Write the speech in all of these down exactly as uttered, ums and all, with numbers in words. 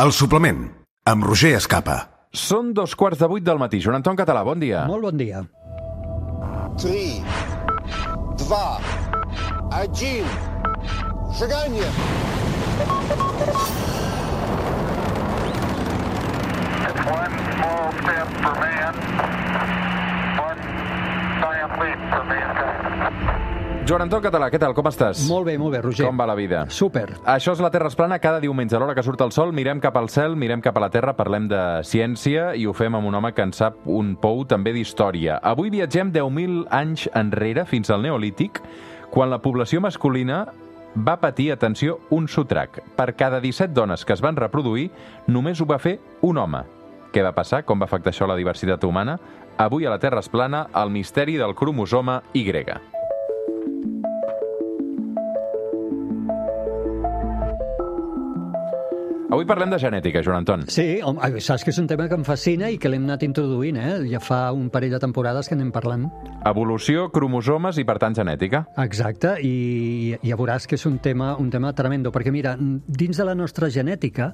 El suplement, amb Roger Escapa. Són dos quarts de vuit del matí. Joan Anton Català, bon dia. Molt bon dia. Три, два, один, шагание. It's one small step for man, one giant leap for mankind. Joan Anton Català, què tal? Com estàs? Molt bé, molt bé, Roger. Com va la vida? Súper. Això és La Terra es plana. Cada diumenge, a l'hora que surt el sol, mirem cap al cel, mirem cap a la Terra, parlem de ciència i ho fem amb un home que en sap un pou també d'història. Avui viatgem deu mil anys enrere, fins al Neolític, quan la població masculina va patir, atenció, un sotrac. Per cada disset dones que es van reproduir, només ho va fer un home. Què va passar? Com va afectar això la diversitat humana? Avui a La Terra es plana, el misteri del cromosoma Y. Avui parlem de genètica, Joan Anton. Sí, home, saps que és un tema que em fascina i que l'hem anat introduint, eh? Ja fa un parell de temporades que anem parlant. Evolució, cromosomes i, per tant, genètica. Exacte, i ja veuràs que és un tema, un tema tremendo, perquè mira, dins de la nostra genètica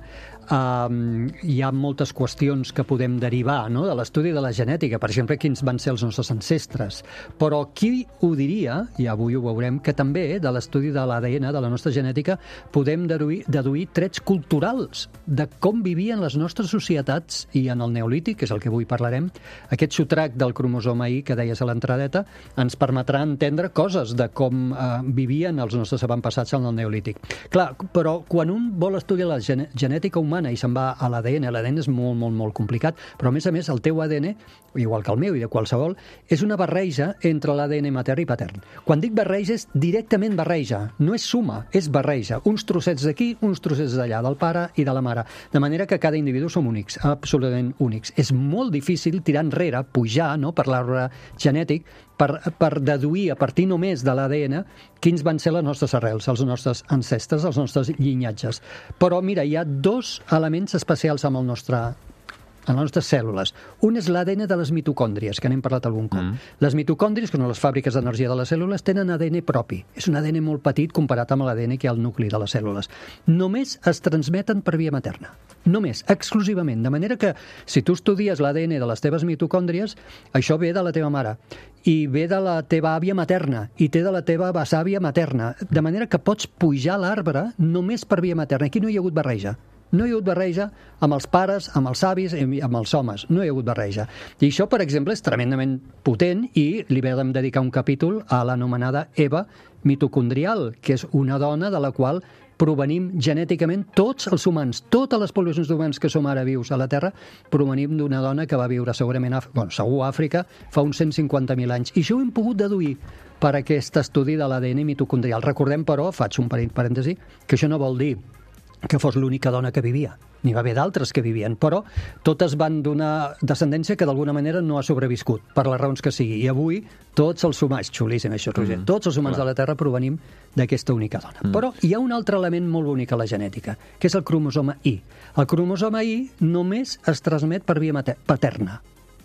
eh, hi ha moltes qüestions que podem derivar, no?, de l'estudi de la genètica, per exemple, quins van ser els nostres ancestres. Però qui ho diria, i avui ho veurem, que també de l'estudi de l'A D N, de la nostra genètica, podem deduir, deduir trets culturals de com vivien les nostres societats, i en el Neolític, que és el que avui parlarem, aquest sotrac del cromosoma Y que deies a l'entradeta ens permetrà entendre coses de com eh, vivien els nostres avantpassats en el Neolític. Clar, però quan un vol estudiar la gen genètica humana i se'n va a l'A D N, l'A D N és molt, molt, molt complicat, però a més a més el teu A D N, igual que el meu i de qualsevol, és una barreja entre l'A D N matern i patern. Quan dic barreja és directament barreja, no és suma, és barreja. Uns trossets d'aquí, uns trossets d'allà, del pare i de la mare. De manera que cada individu som únics, absolutament únics. És molt difícil tirar enrere, pujar, no?, per l'arbre genètic, per, per deduir a partir només de l'A D N quins van ser les nostres arrels, els nostres ancestres, els nostres llinatges. Però mira, hi ha dos elements especials amb el nostre en les nostres cèl·lules. Un és l'A D N de les mitocòndries, que n'hem parlat algun cop. Mm. Les mitocòndries, que són les fàbriques d'energia de les cèl·lules, tenen A D N propi. És un A D N molt petit comparat amb l'A D N que hi ha al nucli de les cèl·lules. Només es transmeten per via materna. Només, exclusivament. De manera que, si tu estudies l'A D N de les teves mitocòndries, això ve de la teva mare, i ve de la teva àvia materna, i té de la teva besàvia materna. De manera que pots pujar l'arbre només per via materna. Aquí no hi ha hagut barreja. No hi ha hagut barreja amb els pares, amb els avis, amb els homes. No hi ha hagut barreja. I això, per exemple, és tremendament potent i li vam dedicar un capítol a l'anomenada Eva mitocondrial, que és una dona de la qual provenim genèticament tots els humans, totes les poblacions d'humans que som ara vius a la Terra, provenim d'una dona que va viure segurament a, bueno, segur a Àfrica fa uns cent cinquanta mil anys. I això ho hem pogut deduir per aquest estudi de l'A D N mitocondrial. Recordem, però, faig un parèntesi, que això no vol dir que fos l'única dona que vivia. N'hi va haver d'altres que vivien, però totes van donar descendència que d'alguna manera no ha sobreviscut, per les raons que sigui. I avui tots els humans, xulíssim això, Roger, mm, tots els humans clar. de la Terra provenim d'aquesta única dona. Mm. Però hi ha un altre element molt bonic a la genètica, que és el cromosoma Y. El cromosoma Y només es transmet per via paterna.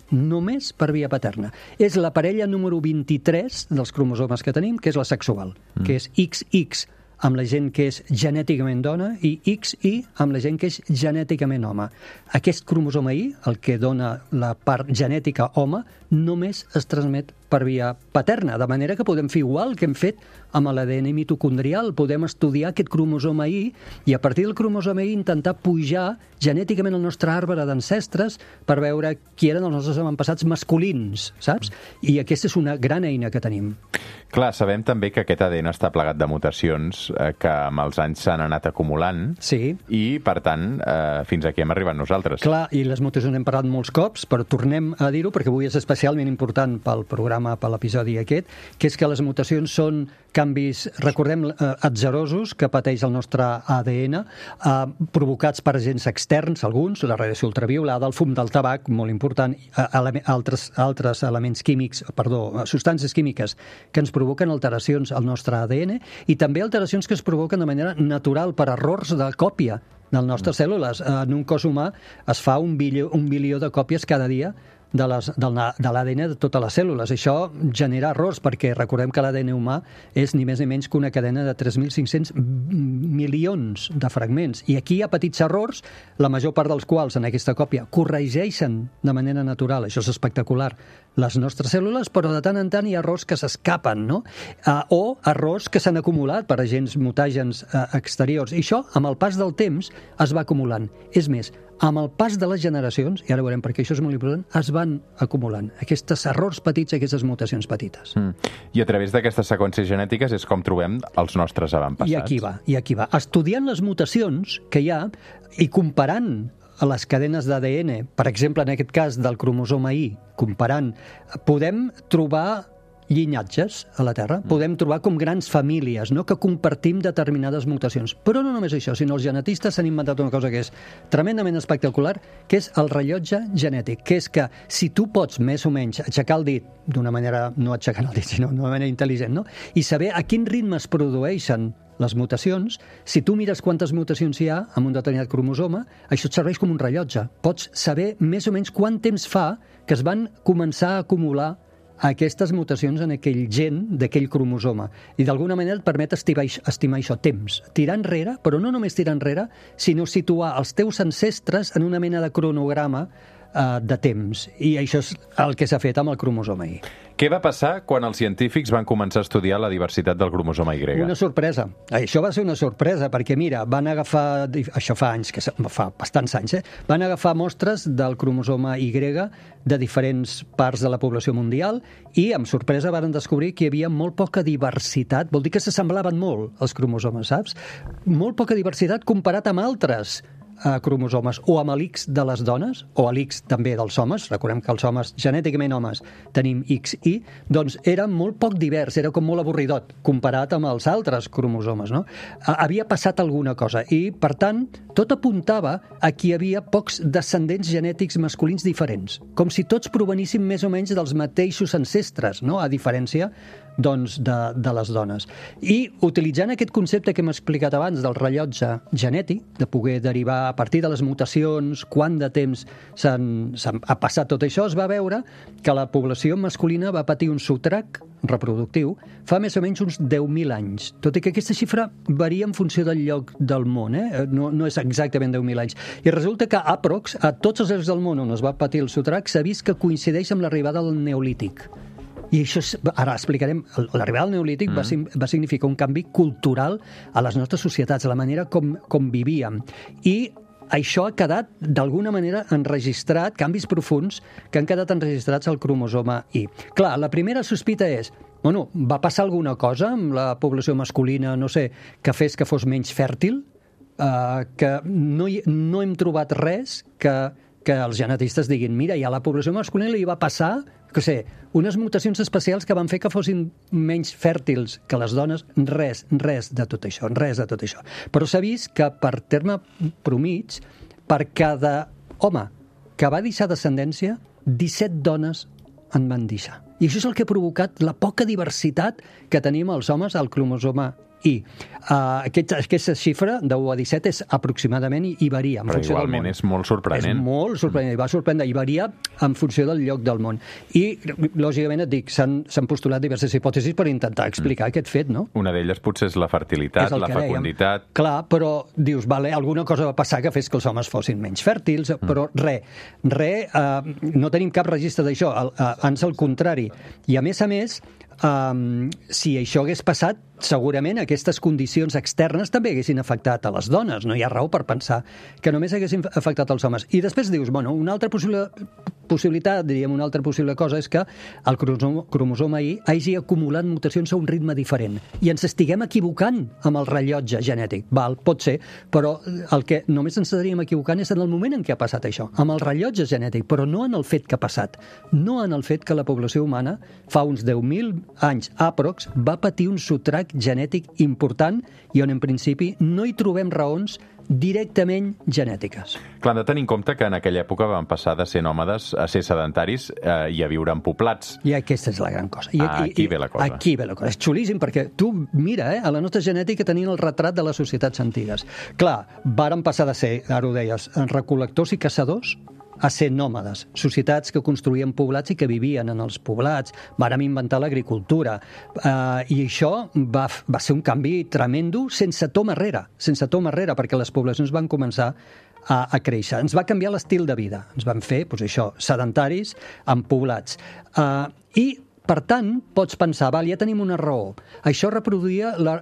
Només per via paterna. És la parella número vint-i-tres dels cromosomes que tenim, que és la sexual, mm. que és X X, amb la gent que és genèticament dona, i X Y amb la gent que és genèticament home. Aquest cromosoma Y, el que dona la part genètica home, només es transmet per via paterna, de manera que podem fer igual que hem fet amb l'A D N mitocondrial, podem estudiar aquest cromosoma Y i a partir del cromosoma Y intentar pujar genèticament el nostre arbre d'ancestres per veure qui eren els nostres avantpassats masculins, saps? I aquesta és una gran eina que tenim. Clar, sabem també que aquest A D N està plagat de mutacions eh, que amb els anys s'han anat acumulant sí. i, per tant, eh, fins aquí hem arribat nosaltres. Clar, i les mutacions hem parlat molts cops, però tornem a dir-ho perquè avui és especialment important pel programa, per l'episodi aquest, que és que les mutacions són canvis, recordem, eh, atzerosos que pateix el nostre A D N, eh, provocats per agents externs, alguns, la radiació ultraviolada, el fum del tabac, molt important, eh, ele altres, altres elements químics, perdó, substàncies químiques que ens provoquen alteracions al nostre A D N i també alteracions que es provoquen de manera natural per errors de còpia de les nostres cèl·lules. En un cos humà es fa un bilió, un bilió de còpies cada dia de les, del, de l'A D N de totes les cèl·lules. Això genera errors, perquè recordem que l'A D N humà és ni més ni menys que una cadena de tres mil cinc-cents milions de fragments. I aquí hi ha petits errors, la major part dels quals en aquesta còpia corregeixen de manera natural, això és espectacular, les nostres cèl·lules, però de tant en tant hi ha errors que s'escapen, no? Uh, o errors que s'han acumulat per agents mutàgens uh, exteriors. I això, amb el pas del temps, es va acumulant. És més, amb el pas de les generacions, i ara veurem perquè això és molt important, es van acumulant aquests errors petits, aquestes mutacions petites. Mm. I a través d'aquestes seqüències genètiques és com trobem els nostres avantpassats. I aquí va, i aquí va. Estudiant les mutacions que hi ha i comparant les cadenes d'A D N, per exemple, en aquest cas del cromosoma Y, comparant, podem trobar llinatges a la Terra, podem trobar com grans famílies, no?, que compartim determinades mutacions. Però no només això, sinó els genetistes s'han inventat una cosa que és tremendament espectacular, que és el rellotge genètic, que és que si tu pots més o menys aixecar el dit, d'una manera, no aixecant el dit, sinó d'una manera intel·ligent, no?, i saber a quin ritme es produeixen les mutacions, si tu mires quantes mutacions hi ha en un determinat cromosoma, això et serveix com un rellotge. Pots saber més o menys quant temps fa que es van començar a acumular aquestes mutacions en aquell gen d'aquell cromosoma. I d'alguna manera et permet estimar, estimar això, temps. Tirar enrere, però no només tirar enrere, sinó situar els teus ancestres en una mena de cronograma eh, de temps. I això és el que s'ha fet amb el cromosoma Y. Què va passar quan els científics van començar a estudiar la diversitat del cromosoma Y? Una sorpresa. Això va ser una sorpresa, perquè mira, van agafar, això fa anys, que fa bastants anys, eh? van agafar mostres del cromosoma Y de diferents parts de la població mundial i, amb sorpresa, van descobrir que hi havia molt poca diversitat. Vol dir que s'assemblaven molt els cromosomes, saps? Molt poca diversitat comparat amb altres Uh, cromosomes, o amb l'X de les dones, o l'X també dels homes, recordem que els homes, genèticament homes, tenim X I, doncs era molt poc divers, era com molt avorridot, comparat amb els altres cromosomes, no? Uh, havia passat alguna cosa, i, per tant, tot apuntava a que hi havia pocs descendents genètics masculins diferents, com si tots provenissin més o menys dels mateixos ancestres, no?, a diferència doncs, de, de les dones. I utilitzant aquest concepte que hem explicat abans del rellotge genètic, de poder derivar a partir de les mutacions, quant de temps s'han, s'han, ha passat tot això, es va veure que la població masculina va patir un sotrac reproductiu fa més o menys uns deu mil anys. Tot i que aquesta xifra varia en funció del lloc del món, eh? no, no és exactament deu mil anys. I resulta que aprox, a tots els llocs del món on es va patir el sotrac, s'ha vist que coincideix amb l'arribada del Neolític. I això, és, ara explicarem, l'arribada del Neolític mm. va, va significar un canvi cultural a les nostres societats, a la manera com, com vivíem. I això ha quedat, d'alguna manera, enregistrat, canvis profuns que han quedat enregistrats al cromosoma Y. Clar, la primera sospita és, bueno, va passar alguna cosa amb la població masculina, no sé, que fes que fos menys fèrtil, uh, que no, hi, no hem trobat res que, que els genetistes diguin, mira, i a la població masculina li va passar, que sé, unes mutacions especials que van fer que fossin menys fèrtils que les dones. Res, res de tot això, res de tot això. Però s'ha vist que, per terme promig, per cada home que va deixar descendència, disset dones en van deixar. I això és el que ha provocat la poca diversitat que tenim els homes al cromosoma Y. Uh, aquesta, aquesta xifra de u a disset és aproximadament i, i varia en Però funció del món. igualment és molt sorprenent. És molt sorprenent, i va sorprendre, i varia en funció del lloc del món. I, lògicament, et dic, s'han postulat diverses hipòtesis per intentar explicar mm. aquest fet, no? Una d'elles potser és la fertilitat, és la fecunditat... Dèiem. Clar, però dius, vale, alguna cosa va passar que fes que els homes fossin menys fèrtils, mm. però res, res, uh, no tenim cap registre d'això, uh, ans al contrari. I, a més a més, Um, si això hagués passat, segurament aquestes condicions externes també haguessin afectat a les dones. No hi ha raó per pensar que només haguessin afectat als homes. I després dius, bueno, una altra possible, possibilitat, diríem, una altra possible cosa és que el cromosoma, cromosoma Y hagi acumulat mutacions a un ritme diferent i ens estiguem equivocant amb el rellotge genètic. Val, pot ser, però el que només ens estaríem equivocant és en el moment en què ha passat això, amb el rellotge genètic, però no en el fet que ha passat, no en el fet que la població humana fa uns deu mil anys aprox va patir un sotrac genètic important i on en principi no hi trobem raons directament genètiques. Clar, hem de tenir en compte que en aquella època van passar de ser nòmades a ser sedentaris eh, i a viure en poblats. I aquesta és la gran cosa. I, ah, aquí i, ve la cosa. Aquí ve la cosa. És xulíssim, perquè tu mira, eh, a la nostra genètica tenien el retrat de les societats antigues. Clar, varen passar de ser, ara ho deies, recol·lectors i caçadors a ser nòmades, societats que construïen poblats i que vivien en els poblats, vàrem inventar l'agricultura, eh, i això va, va ser un canvi tremendo sense tom enrere, sense tom enrere, perquè les poblacions van començar a, a créixer. Ens va canviar l'estil de vida, ens van fer, doncs això, sedentaris en poblats. Eh, I per tant, pots pensar, val, ja tenim una raó. Això reproduïa la,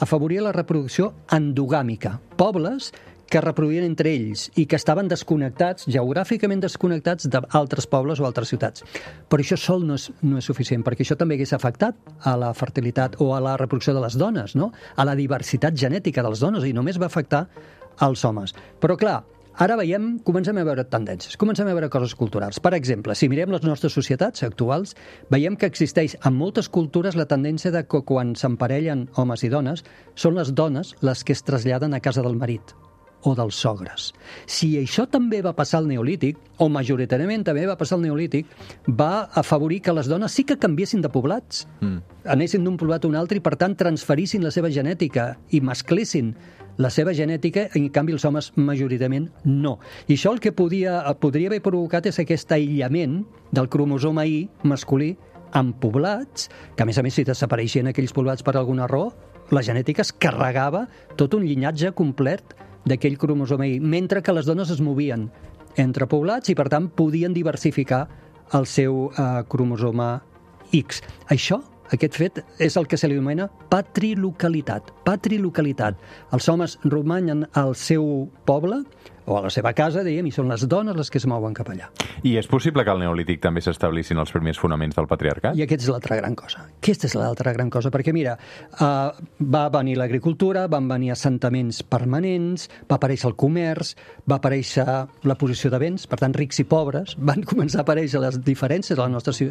afavoria la reproducció endogàmica. Pobles que reproduïen entre ells i que estaven desconnectats, geogràficament desconnectats d'altres pobles o altres ciutats. Però això sol no és, no és suficient, perquè això també hagués afectat a la fertilitat o a la reproducció de les dones, no? A la diversitat genètica de les dones, i només va afectar als homes. Però clar, ara veiem, comencem a veure tendències, comencem a veure coses culturals. Per exemple, si mirem les nostres societats actuals, veiem que existeix en moltes cultures la tendència de que quan s'emparellen homes i dones, són les dones les que es traslladen a casa del marit o dels sogres. Si això també va passar al Neolític, o majoritàriament també va passar al Neolític, va afavorir que les dones sí que canviessin de poblats, mm. anessin d'un poblat a un altre i, per tant, transferissin la seva genètica i mesclessin la seva genètica, en canvi els homes majoritàriament no. I això el que podia, podria haver provocat és aquest aïllament del cromosoma Y masculí en poblats, que a més a més si desapareixien aquells poblats per alguna raó, la genètica es carregava tot un llinatge complet d'aquell cromosoma Y, mentre que les dones es movien entre poblats i per tant podien diversificar el seu eh, cromosoma X. Això, aquest fet, és el que se li anomena patrilocalitat. Patrilocalitat. Els homes romanen al seu poble o a la seva casa, dèiem, i són les dones les que es mouen cap allà. I és possible que al Neolític també s'establissin els primers fonaments del patriarcat? I aquesta és l'altra gran cosa. Aquesta és l'altra gran cosa, perquè mira, uh, va venir l'agricultura, van venir assentaments permanents, va aparèixer el comerç, va aparèixer la posició de béns, per tant, rics i pobres, van començar a aparèixer les diferències de les nostres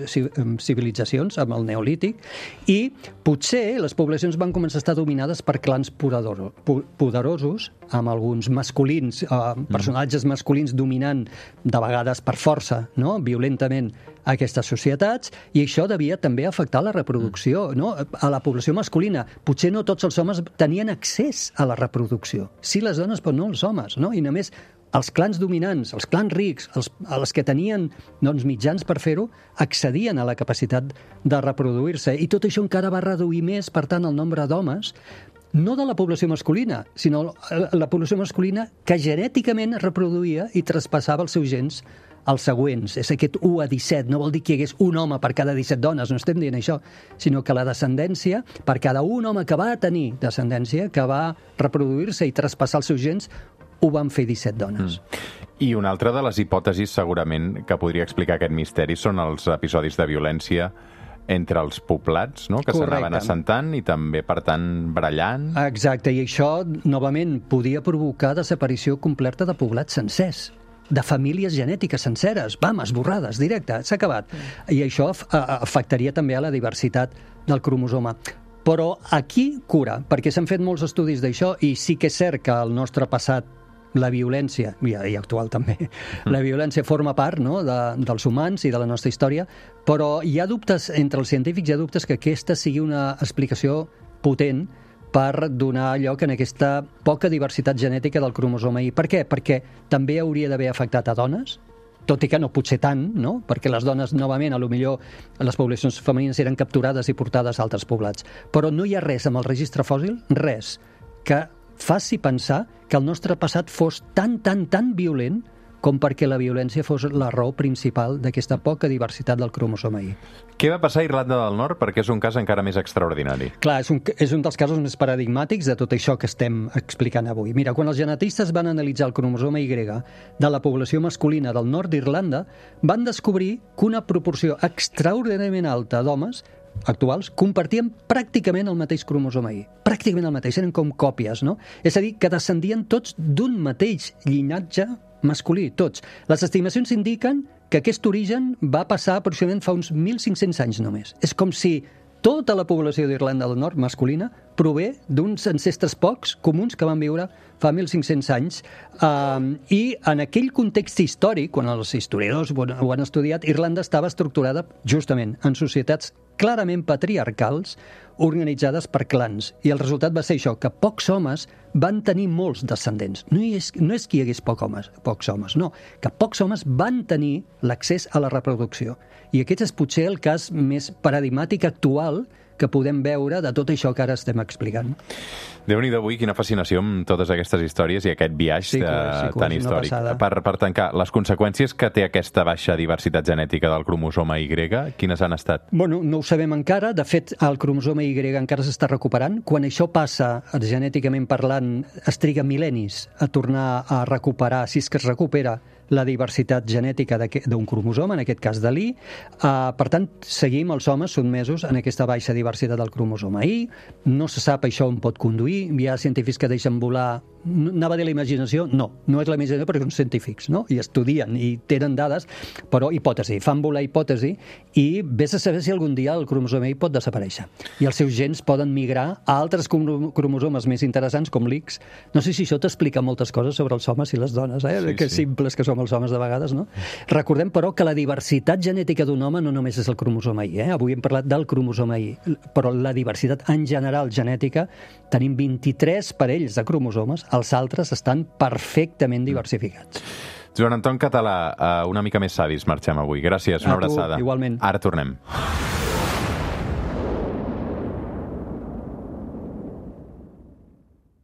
civilitzacions amb el Neolític, i potser les poblacions van començar a estar dominades per clans poderosos, amb alguns masculins, uh, personatges masculins dominant de vegades per força, no? Violentament aquestes societats, i això devia també afectar la reproducció, no? A la població masculina. Potser no tots els homes tenien accés a la reproducció. Sí les dones, però no els homes, no? I només els clans dominants, els clans rics, els, els que tenien doncs, mitjans per fer-ho, accedien a la capacitat de reproduir-se. I tot això encara va reduir més, per tant, el nombre d'homes, no de la població masculina, sinó la població masculina que genèticament reproduïa i traspassava els seus gens als següents. És aquest u a disset, no vol dir que hi hagués un home per cada disset dones, no estem dient això, sinó que la descendència, per cada un home que va tenir descendència, que va reproduir-se i traspassar els seus gens, ho van fer disset dones. Mm. I una altra de les hipòtesis, segurament, que podria explicar aquest misteri són els episodis de violència entre els poblats, no? Que s'anaven assentant i també, per tant, barallant. Exacte, i això, novament, podia provocar desaparició completa de poblats sencers, de famílies genètiques senceres, vam, esborrades, directe, s'ha acabat. I això afectaria també a la diversitat del cromosoma. Però aquí cura, perquè s'han fet molts estudis d'això, i sí que és cert que el nostre passat, la violència, i, i actual també, la violència forma part, no?, de, dels humans i de la nostra història, però hi ha dubtes, entre els científics hi ha dubtes que aquesta sigui una explicació potent per donar lloc en aquesta poca diversitat genètica del cromosoma Y. Per què? Perquè també hauria d'haver afectat a dones, tot i que no pot ser tant, no? Perquè les dones, novament, a lo millor les poblacions femenines eren capturades i portades a altres poblats. Però no hi ha res amb el registre fòssil, res, que faci pensar que el nostre passat fos tan, tan, tan violent com perquè la violència fos la raó principal d'aquesta poca diversitat del cromosoma Y. Què va passar a Irlanda del Nord? Perquè és un cas encara més extraordinari. Clar, és un, és un dels casos més paradigmàtics de tot això que estem explicant avui. Mira, quan els genetistes van analitzar el cromosoma Y de la població masculina del nord d'Irlanda, van descobrir que una proporció extraordinàriament alta d'homes actuals compartien pràcticament el mateix cromosoma Y. Pràcticament el mateix, eren com còpies, no? És a dir, que descendien tots d'un mateix llinatge masculí, tots. Les estimacions indiquen que aquest origen va passar aproximadament fa uns mil cinc-cents anys només. És com si tota la població d'Irlanda del Nord masculina prové d'uns ancestres pocs comuns que van viure fa mil cinc-cents anys. Um, I en aquell context històric, quan els historiadors ho han estudiat, Irlanda estava estructurada justament en societats clarament patriarcals, organitzades per clans. I el resultat va ser això, que pocs homes van tenir molts descendents. No és, no és que hi hagués pocs homes, pocs homes, no. Que pocs homes van tenir l'accés a la reproducció. I aquest és potser el cas més paradigmàtic actual que podem veure de tot això que ara estem explicant. Déu-n'hi-do avui, quina fascinació amb totes aquestes històries i aquest viatge sí, de, sí, tan històric. Per, per tancar, les conseqüències que té aquesta baixa diversitat genètica del cromosoma Y, quines han estat? Bueno, no ho sabem encara. De fet, el cromosoma Y encara s'està recuperant. Quan això passa, genèticament parlant, es triga mil·lennis a tornar a recuperar, si és que es recupera, la diversitat genètica d'un cromosoma, en aquest cas de l'I. Uh, per tant, seguim els homes sotmesos en aquesta baixa diversitat del cromosoma I. No se sap això on pot conduir. Hi ha científics que deixen volar... Anava a dir la imaginació? No, no és la imaginació perquè són científics, no? I estudien i tenen dades, però hipòtesi, fan volar hipòtesi i vés a saber si algun dia el cromosoma I pot desaparèixer. I els seus gens poden migrar a altres cromosomes més interessants, com l'X. No sé si això t'explica moltes coses sobre els homes i les dones, eh? Sí, que sí. Simples que som els homes de vegades, no? Recordem, però, que la diversitat genètica d'un home no només és el cromosoma I, eh? Avui hem parlat del cromosoma I, però la diversitat en general genètica, tenim vint-i-tres parells de cromosomes, els altres estan perfectament diversificats. Joan Anton Català, una mica més savis marxem avui. Gràcies, una abraçada. Igualment. Ara tornem.